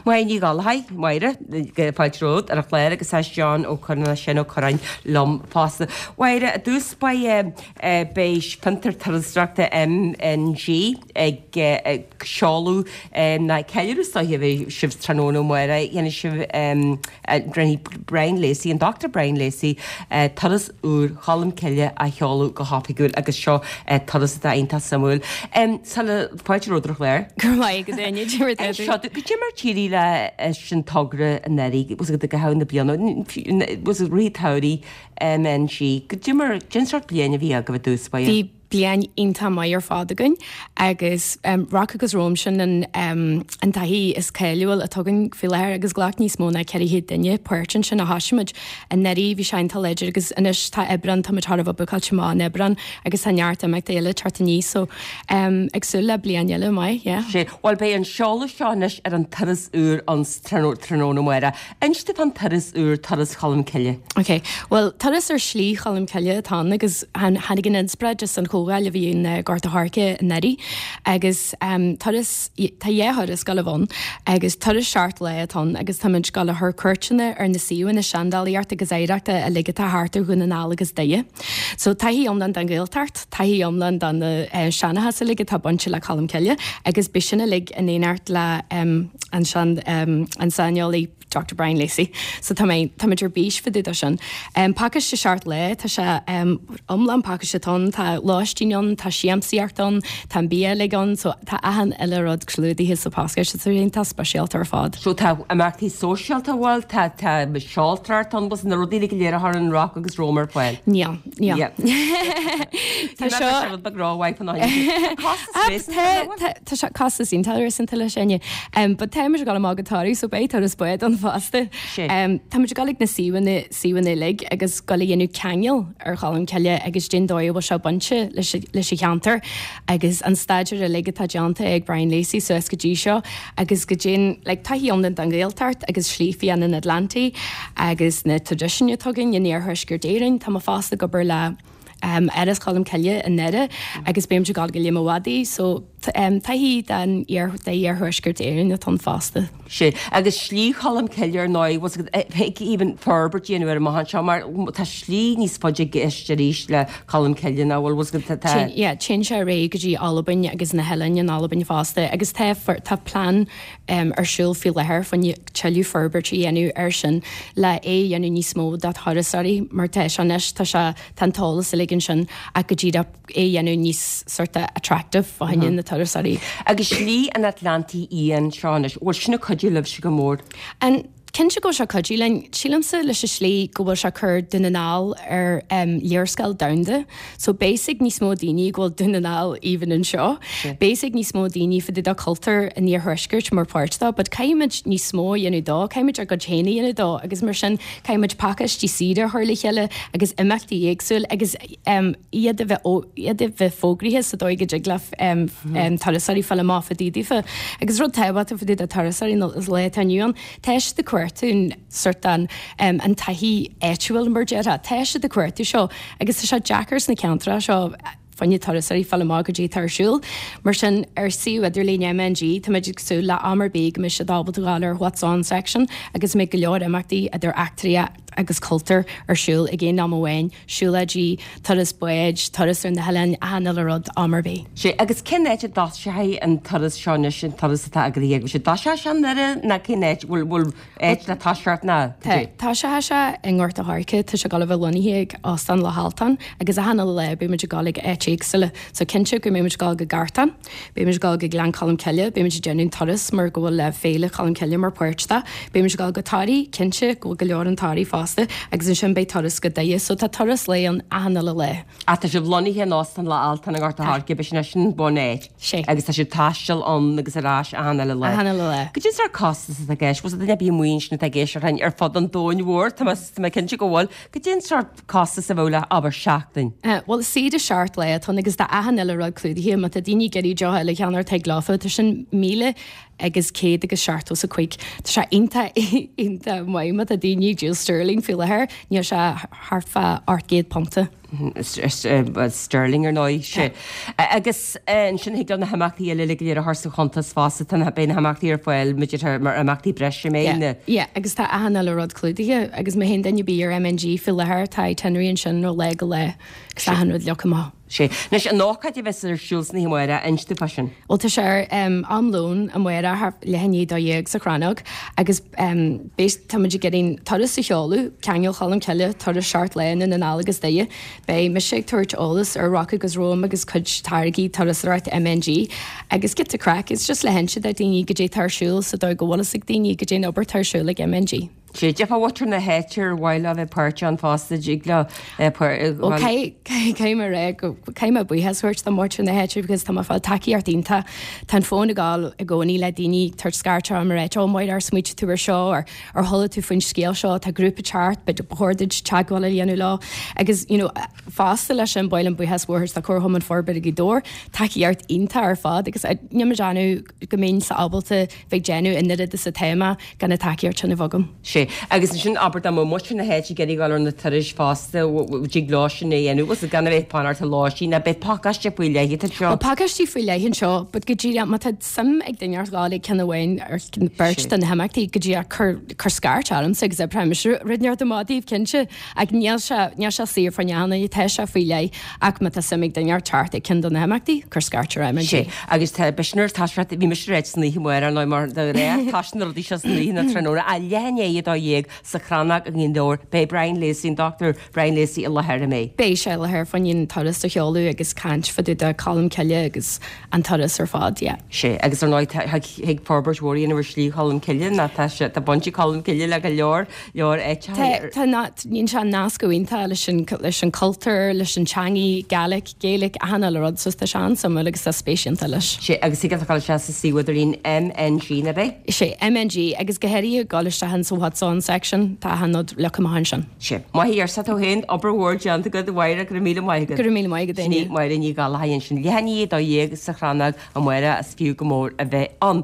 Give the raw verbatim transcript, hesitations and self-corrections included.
Máire Ní Ghallchóir Máire fáilte romhat ar an chlár agus tá Seán Ó Curráin sin Ó Curráin liom fosta. Máire i dtús beidh beidh fiontar turasóireachta MNG ag seoladh na ceiliúradh seo a bheidh sibh tráthnóna Máire dhéanfaidh sibh rinne Brian Lacey an Dr. Brian Lacey turas úr Cholm Cille a sheoladh go hoifigiúil agus seo turas atá iontach suimiúil. Sula fáilte romhat ar an chlár. Gur maith go duine Seo goidé mar d'éirigh le sin togra anuraidh was go ha na bliana was rí tairí MNG goidé mar cén sórt bliain a bhí agaibh i dtús báire. Bhí bliain iontach maith ar fad againn agus um, Rock agus Roam sin an, um, an taithí is cáiliúil atá againn faoi láthair agus ghlac níos mó ná ceithre chéad duine páirt ansin a thosaigh muid anuraidh bhí sé iontach láidir agus anois tá Aibreán tá thar a bheith bookáilte amach in Aibreán agus tá neart imeachtaí eile thart aníos so um, ag súil le bliain eile maith, yeah. Sé Well beidh an seoladh seo anois ar an turas úr an tráthnóna Máire. Inis an turas úr turas Cholm Cille. Ok, well turas ar Shlí Cholm Cille atá ann agus tháinig an inspioráid as an chomhdháil a bhí in uh, Gort a' Choirce anuraidh agus um, turas tá dhá thuras ag gabháil ann agus turas seacht lá atá ann agus táimid ag gabháil a chur cuairteanna ar na suíomhanna seandálaíochta agus oidhreachta uilig atá thart ar Dhún na nGall agus Doire. So taithí iomlán den Ghaeltacht, taithí iomlán den na uh, seanchas uilig atá bainte le Colm Cille agus beidh sin uilig in éineacht le um, an sean um, an saineolaí Dr. Brian Lacey. So tá mé tá ar bís fá dtaobh de sin. Um, Pacáiste seacht lá tá sé um, iomlán pacáiste ann tá lóistín ann tá siamsaíocht ann tá bia uilig ann so tá achan uile rud clúdaithe sa phacáiste so tá speisialta ar fad. So tá imeachtaí sóisialta bhfuil tá tá seoltóireacht ann bus na rudaí go léir a an Rock agus Roam ar fáil. Níl níl. Tá seo Tá sé costas iontach leis sinne. But táimid ag gabháil amach go Toraigh so beidh turas báid ann fosta. Táimid ag gabháil ag na suíomhanna suíomhanna uilig agus ag gabháil a dhéanamh ceangal ar Cholm Cille agus cén dóigh a bhfuil sé bainte leis leis an cheantar agus an staidéar uilig atá déanta ag Brian Lacey suas go dtí seo agus go dtéann like, taithí iomlán den Ghaeltacht agus Slí Fhiáin an Atlantaigh agus na traidisiúin atá againn in iarthuaisceart Éireann tá mé fosta ag obair le um, Áras Cholm Cille i nDoire agus beimid ag gabháil go Léim an Mhadaidh so um, taithí den iarthuaisceart Éireann atá ann fosta. Sé agus Slí Cholm Cille ar ndóigh was even forbairt dhéanamh ar amach anseo mar tá slí níos faide i gceist arís le Colm Cille ná bhfuil was tá Yeah, téann sé réidh go dtí Albain agus na hoileáin in Albain fosta agus tá tá plean um, ar siúl faoi láthair chun tuilleadh forbairt a dhéanamh ar sin le é a dhéanamh níos mó do thurasóirí mar tá sé anois tá sé tá an t-eolas uilig ansin ach go dtí é a dhéanamh níos sort of attractive fá choinne na turasóirí. Agus Slí an Atlantaigh Fhiáin seo anois, bhfuil sin ag cuidiú libhse go mór. An Cinnte go bhfuil sé ag cuidiú linn sílimse leis an slí go bhfuil sé cur Dún na nGall ar um, léarscáil domhanda. So basic níos mó daoine go bhfuil Dún na nGall even anseo. Basic níos mó daoine fá dtaobh de cultúr an iarthuaiscirt mar páirt dó, but caithfimid níos mó a dhéanamh dó, caithfimid ár gcuid féin a dhéanamh dó, agus mar sin caithfimid pacáistí saoire a chur le chéile agus imeachtaí éagsúil agus um, iad a bheith iad a bheith fógraithe sa dóigh go dtig le um, um, turasóirí fáil amach fá dtaobh daofa. Agus rud tábhachtach fá dtaobh de turasóirí is lá atá inniu ann, tá siad ag cuartú sort an um, an taithí áitiúil mar déarfá, tá siad ag cuartú seo agus tá sé deacair sna ceantracha seo fá choinne turasóirí fáil amach goidé atá ar siúl. Mar sin ar suíomh idirlín MNG tá muid ag súil le am ar bith go mbeidh siad ábalta gabháil ar What's On section agus mbeidh go leor imeachtaí idir eachtraíocht agus cultúr ar siúl ag aon am amháin, siúlóidí, turas báid, turas ar na hoileáin, achan uile rud am ar bith. Sé agus cén áit a dtoiseoidh an turas seo anois an turas atá agaibh agus sé dtoiseoidh sé i nDoire ná cén áit bhfuil bhfuil áit le toiseacht ná Tá sé sé i nGort a' Choirce tá sé ag gabháil a bheith lonnaithe ag Óstán Loch Altan agus achan uile lá beimid ag gabháil ag áit éagsúla, so cinnte go mbeimid ag gabháil go Gartán, beimid ag gabháil go Gleann Cholm Cille, beimid ag déanamh turas mar go bhfuil le Féile Cholm Cille mar páirt de, beimid ag gabháil go Toraigh cinnte go bhfuil go leor in Toraigh fosta agus ansin beidh turas go Doire, so tá turas lae ann achan uile lá. Ach tá sibh lonnaithe in Óstán Loch Altan i nGort a' Choirce b'shin é sin bun-áit. Sé. Agus tá sibh taisteal ann agus ar ais achan uile lá. Achan uile lá. Goidé sórt costas atá i gceist, was duine bí amuigh ansin atá ag éisteacht linn ar fud an domhain mhóir, tá mé tá mé cinnte go bhfuil, goidé an sórt costas a bheadh le abair seachtain. Uh, well saoire seacht lá atá ann agus tá achan uile rud clúdaithe má tá daoine ag iarraidh deoch eile a cheannacht thig leofa tá sin míle agus céad agus seachtó is a cúig. Tá sé iontach iontach maith má tá daoine ag díol sterling faoi láthair, níl sé thart fá ocht gcéad punta. Sterling ar ndóigh sé. Agus ansin thig leo na himeachtaí eile go léir a chur sa chuntas fosta tá na beidh na himeachtaí ar fáil muidir mar imeachtaí breise mé na. Yeah, agus tá achan uile rud clúdaithe agus má théann duine ar bith ar MNG faoi láthair tá itinerary ansin ó lá go lá agus achan rud leagtha amach. Sé. Anois an ócáid a bheas ar siúl san oíche amárach, inis dúinn fá sin. Bhuel tá sé ar um, am lóin amárach leath i ndiaidh a dó dhéag sa Chrannóg agus um, tá muid ag iarraidh turas a sheoladh, Ceangal Cholm Cille, turas seacht lá i nDún na nGall agus Doire. Beidh mise ag tabhairt eolas ar Rock agus Roam agus cuid táirgí turasóireachta MNG agus giota craic, it's just le hinse do daoine goidé tá ar siúl sa dóigh go bhfuil fhios ag daoine goidé an obair atá ar siúl ag MNG. Sé defa water na héir bhile a bheith páirte an fásta ag le Ó caithfidh mé rá caithfidh mé buíochas a thabhairt do mhuintir na háite because tá mé ag fáil tacaíocht iontach Tá an fón ag gabháil i gcónaí le daoine ag tabhairt scairt orm ag rá ó Máire ar smaointigh tú ar seo ar ar chuala tú faoin scéal seo tá grúpa teacht ba chóir duit teagmháil a dhéanamh leo agus you know, fosta leis an bail an buíochas mhór do Chomharchumann Forbartha Ghaoth Dobhair tacaíocht iontach ar fad agus níl mé ag déanamh go mbeinn ábalta bheith déanamh an oiread is atá mé gan na tacaíocht sin a bheith agam. Sé agus sin abair dá mbeadh muintir na háite ag iarraidh dul ar na turais fosta dtig leo sin a dhéanamh agus gan a bheith fanacht ar lóistín ná beidh pacáiste faoi leith seo. Well, pacáistí faoi leith anseo, but go dtí má tá suim ag duine ar dul ag ceann amháin ar beirt de na himeachtaí go dtí cur cur scairt ormsa agus oibreoidh mise rud inteacht amach daoibh cinnte ach níl sé níl sé saor faoi neanna tá sé faoi leith ach má tá suim ag duine teacht ag ceann de na himeachtaí cur scairt ar Sé agus tá b'shin tá bhí mise réit san oíche amárach nó mar de réir tá na rudaí seo san oíche na tráthnóna a leath i ndiaidh a dó dhéag sa Chrannóg i nGaoth Dobhair beidh Brian Lacey an Dr. Brian Lacey i láthair mé. Beidh sé i láthair fá choinne an turas a sheoladh agus caint fá dtaobh de Colm Cille agus an turas ar fad, yeah. Sé agus ar ndóigh thig forbairt mhór ar Shlí Cholm Cille ná tá sé tá baint ag Colm Cille le go leor leor áit Tá níon se nasc iontach leis an leis an cultúr, leis an teanga, Gaelic, Gaelic achan uile rud so tá sé an-suimiúil agus tá spéis iontach leis. Sé agus thig leat sé sa suíomh idirlín MNG na bé? Sé MNG agus go háirithe gabháil isteach in sa What's On section tá achan rud leagtha amach ansin. Sé. Maith ar sa tú féin obair mhór déanta agat Mháire go raibh míle maith agat. Go raibh míle maith agat Ní Máire Ní Ghallchóir sin leath i ndiaidh a dó dhéag sa Chrannóg amárach is fiú go mór a bheith ann.